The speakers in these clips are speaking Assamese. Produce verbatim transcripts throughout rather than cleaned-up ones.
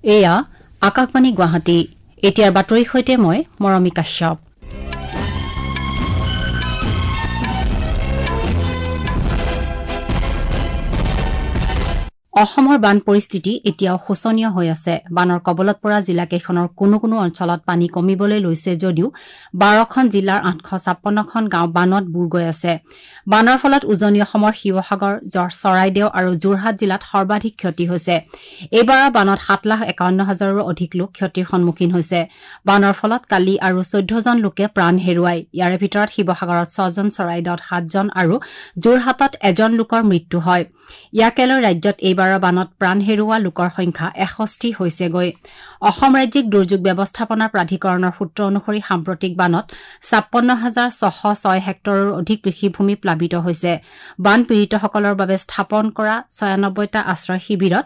এয়া আকাশবাণী গুৱাহাটী। এতিয়াৰ বাতৰিৰ সৈতে মই মৰমী কাশ্যপ। অসমৰ বান পৰিস্থিতি এতিয়াও শোচনীয় হৈ আছে। বানৰ কবলত পৰা জিলাকেইখনৰ কোনো কোনো অঞ্চলত পানী কমিবলৈ লৈছে যদিও বাৰখন জিলাৰ আঠশ ছাপন্নখন গাঁও বানত বুৰ গৈ আছে। বানৰ ফলত উজনি অসমৰ শিৱসাগৰ, চৰাইদেউ আৰু যোৰহাট জিলাত সৰ্বাধিক ক্ষতি হৈছে। এইবাৰৰ বানত সাত লাখ একাৱন্ন হাজাৰৰো অধিক লোক ক্ষতিৰ সন্মুখীন হৈছে। বানৰ ফলত কালি আৰু চৈধ্যজন লোকে প্ৰাণ হেৰুৱায়। ইয়াৰে ভিতৰত শিৱসাগৰত ছজন, চৰাইদেউত সাতজন আৰু যোৰহাটত এজন লোকৰ মৃত্যু হয়। ইয়াকে লৈ ৰাজ্যত এইবাৰৰ বানত প্ৰাণ হেৰুওৱা লোকৰ সংখ্যা এষষ্ঠি হৈছেগৈ। অসম ৰাজ্যিক দুৰ্যোগ ব্যৱস্থাপনা প্ৰাধিকৰণৰ সূত্ৰ অনুসৰি সাম্প্ৰতিক বানত ছাপন্ন হাজাৰ ছশ ছয় হেক্টৰৰো অধিক কৃষিভূমি প্লাবিত হৈছে। বানপীড়িতসকলৰ বাবে স্থাপন কৰা ছয়ানব্বৈটা আশ্ৰয় শিবিৰত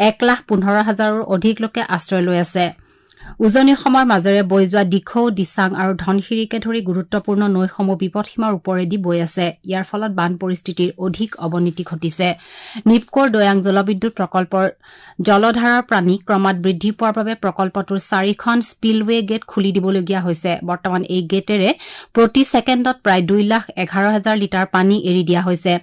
এক লাখ পোন্ধৰ হাজাৰৰো অধিক লোকে আশ্ৰয় লৈ আছে। উজনি অসমৰ মাজেৰে বৈ যোৱা দিখৌ, দিচাং আৰু ধনশিৰিকে ধৰি গুৰুত্বপূৰ্ণ নৈসমূহ বিপদসীমাৰ ওপৰেদি বৈ আছে। ইয়াৰ ফলত বান পৰিস্থিতিৰ অধিক অৱনতি ঘটিছে। নিপকোৰ দৈয়াং জলবিদ্যুৎ প্ৰকল্পৰ জলধাৰাৰ পানী ক্ৰমাৎ বৃদ্ধি পোৱাৰ বাবে প্ৰকল্পটোৰ চাৰিখন স্পিলৱে গেট খুলি দিবলগীয়া হৈছে। বৰ্তমান এই গেটেৰে প্ৰতি ছেকেণ্ডত প্ৰায় দুই লাখ এঘাৰ হাজাৰ লিটাৰ পানী এৰি দিয়া হৈছে।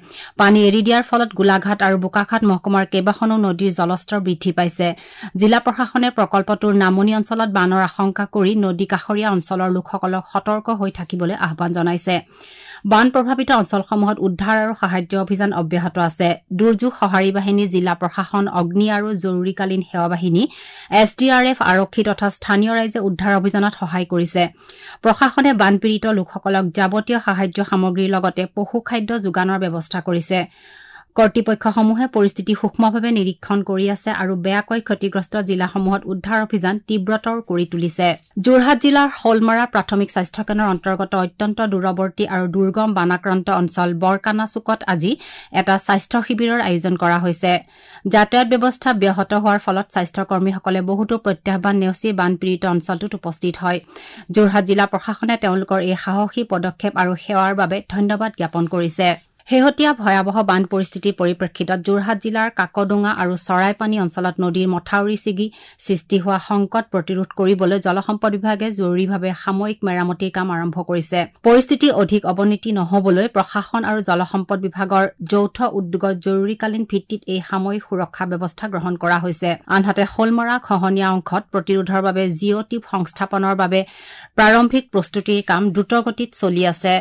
পানী এৰি দিয়াৰ ফলত গোলাঘাট আৰু বোকাখাট মহকুমাৰ কেইবাখনো নদীৰ জলস্তৰ বৃদ্ধি পাইছে। জিলা প্ৰশাসনে প্ৰকল্পটোৰ নামনি অঞ্চলত বানৰ আশংকা কৰি নদী কাষৰীয়া অঞ্চলৰ লোকসকলক সতৰ্ক হৈ থাকিবলৈ আহ্বান জনাইছে। বান প্ৰভাৱিত অঞ্চলসমূহত উদ্ধাৰ আৰু সাহায্য অভিযান অব্যাহত আছে। দুৰ্যোগ সঁহাৰি বাহিনী, জিলা প্ৰশাসন, অগ্নি আৰু জৰুৰীকালীন সেৱা বাহিনী, এছ ডি আৰ এফ, আৰক্ষী তথা স্থানীয় ৰাইজে উদ্ধাৰ অভিযানত সহায় কৰিছে। প্ৰশাসনে বানপীড়িত লোকসকলক যাৱতীয় সাহায্য সামগ্ৰীৰ লগতে পশু খাদ্য যোগানৰ ব্যৱস্থা কৰিছে। কৰ্তৃপক্ষসমূহে পৰিস্থিতি সূক্ষ্মভাৱে নিৰীক্ষণ কৰি আছে আৰু বেয়াকৈ ক্ষতিগ্ৰস্ত জিলাসমূহত উদ্ধাৰ অভিযান তীব্ৰতৰ কৰি তুলিছে। যোৰহাট জিলাৰ শ'লমৰা প্ৰাথমিক স্বাস্থ্যকেন্দ্ৰৰ অন্তৰ্গত অত্যন্ত দূৰৱৰ্তী আৰু দুৰ্গম বানাক্ৰান্ত অঞ্চল বৰকানাচুকত আজি এটা স্বাস্থ্য শিবিৰৰ আয়োজন কৰা হৈছে। যাতায়াত ব্যৱস্থা ব্যাহত হোৱাৰ ফলত স্বাস্থ্যকৰ্মীসকলে বহুতো প্ৰত্যাহ্বান নেওচি বানপীড়িত অঞ্চলটোত উপস্থিত হয়। যোৰহাট জিলা প্ৰশাসনে তেওঁলোকৰ এই সাহসী পদক্ষেপ আৰু সেৱাৰ বাবে ধন্যবাদ জ্ঞাপন কৰিছে। শেহতীয়া ভয়াৱহ বান পৰিস্থিতিৰ পৰিপ্ৰেক্ষিতত যোৰহাট জিলাৰ কাকডোঙা আৰু চৰাইপানী অঞ্চলত নদীৰ মথাউৰি ছিগি সৃষ্টি হোৱা সংকট প্ৰতিৰোধ কৰিবলৈ জলসম্পদ বিভাগে জৰুৰীভাৱে সাময়িক মেৰামতিৰ কাম আৰম্ভ কৰিছে। পৰিস্থিতি অধিক অৱনতি নহবলৈ প্ৰশাসন আৰু জলসম্পদ বিভাগৰ যৌথ উদ্যোগত জৰুৰীকালীন ভিত্তিত এই সাময়িক সুৰক্ষা ব্যৱস্থা গ্ৰহণ কৰা হৈছে। আনহাতে শ'লমৰা খহনীয়া অংশত প্ৰতিৰোধৰ বাবে জিঅ' টিউব সংস্থাপনৰ বাবে প্ৰাৰম্ভিক প্ৰস্তুতিৰ কাম দ্ৰুতগতিত চলি আছে।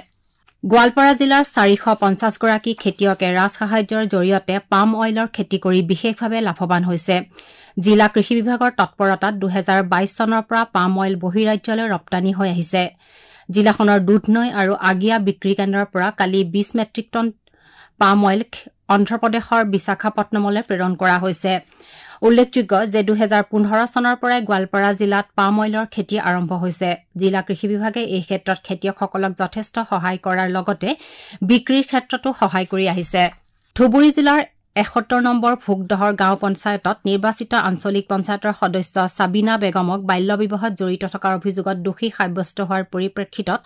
গোৱালপাৰা জিলাৰ চাৰিশ পঞ্চাছগৰাকী খেতিয়কে ৰাজসাহায্যৰ জৰিয়তে পাম অইলৰ খেতি কৰি বিশেষভাৱে লাভৱান হৈছে। জিলা কৃষি বিভাগৰ তৎপৰতাত দুহেজাৰ বাইছ চনৰ পৰা পাম অইল বহিৰাজ্যলৈ ৰপ্তানি হৈ আহিছে। জিলাখনৰ দুধনৈ আৰু আগিয়া বিক্ৰী কেন্দ্ৰৰ পৰা কালি বিছ মেট্ৰিক টন পাম অইল অন্ধ্ৰপ্ৰদেশৰ বিশাখাপট্টনমলৈ প্ৰেৰণ কৰা হৈছে। উল্লেখযোগ্য যে দুহেজাৰ পোন্ধৰ চনৰ পৰাই গোৱালপাৰা জিলাত পাম অইলৰ খেতি আৰম্ভ হৈছে। জিলা কৃষি বিভাগে এই ক্ষেত্ৰত খেতিয়কসকলক যথেষ্ট সহায় কৰাৰ লগতে বিক্ৰীৰ ক্ষেত্ৰতো সহায় কৰি আহিছে। ধুবুৰী জিলাৰ এসত্তৰ নম্বৰ ভোগদহৰ গাঁও পঞ্চায়তত নিৰ্বাচিত আঞ্চলিক পঞ্চায়তৰ সদস্য ছাবিনা বেগমক বাল্য বিবাহত জড়িত থকাৰ অভিযোগত দোষী সাব্যস্ত হোৱাৰ পৰিপ্ৰেক্ষিতত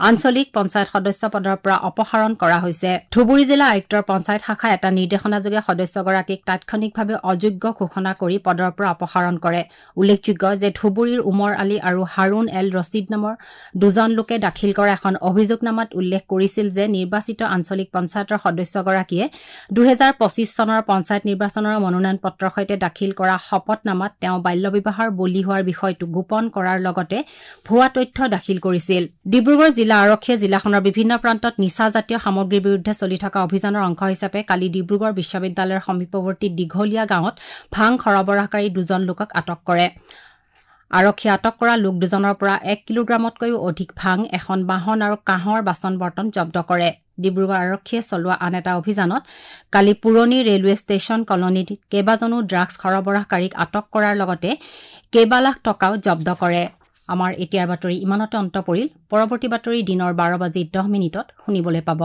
আঞ্চলিক পঞ্চায়ত সদস্য পদৰ পৰা অপসাৰণ কৰা হৈছে। ধুবুৰী জিলা আয়ুক্তৰ পঞ্চায়ত শাখাই এটা নিৰ্দেশনাযোগে সদস্যগৰাকীক তাৎক্ষণিকভাৱে অযোগ্য ঘোষণা কৰি পদৰ পৰা অপসাৰণ কৰে। উল্লেখযোগ্য যে ধুবুৰীৰ উমৰ আলী আৰু হাৰুণ এল ৰছিদ নামৰ দুজন লোকে দাখিল কৰা এখন অভিযোগনামাত উল্লেখ কৰিছিল যে নিৰ্বাচিত আঞ্চলিক পঞ্চায়তৰ সদস্যগৰাকীয়ে দুহেজাৰ পঁচিছ চনৰ পঞ্চায়ত নিৰ্বাচনৰ মনোনয়ন পত্ৰৰ সৈতে দাখিল কৰা শপতনামাত তেওঁ বাল্য বিবাহৰ বলি হোৱাৰ বিষয়টো গোপন কৰাৰ লগতে ভুৱা তথ্য দাখিল কৰিছিল। ডিব্ৰুগড় জিলা আৰক্ষীয়ে জিলাখনৰ বিভিন্ন প্ৰান্তত নিচাজাতীয় সামগ্ৰীৰ বিৰুদ্ধে চলি থকা অভিযানৰ অংশ হিচাপে কালি ডিব্ৰুগড় বিশ্ববিদ্যালয়ৰ সমীপৱৰ্তী দীঘলীয়া গাঁৱত ভাং সৰবৰাহকাৰী দুজন লোকক আটক কৰে। আৰক্ষীয়ে আটক কৰা লোক দুজনৰ পৰা এক কিলোগ্ৰামতকৈও অধিক ভাং, এখন বাহন আৰু কাঁহৰ বাচন বৰ্তন জব্দ কৰে। ডিব্ৰুগড় আৰক্ষীয়ে চলোৱা আন এটা অভিযানত কালি পুৰণি ৰেলৱে ষ্টেচন কলনীত কেইবাজনো ড্ৰাগছ সৰবৰাহকাৰীক আটক কৰাৰ লগতে কেইবা লাখ টকাও জব্দ কৰে। আমাৰ এতিয়াৰ বাতৰি ইমানতে অন্ত পৰিল। পৰৱৰ্তী বাতৰি দিনৰ বাৰ বাজি দহ মিনিটত শুনিবলৈ পাব।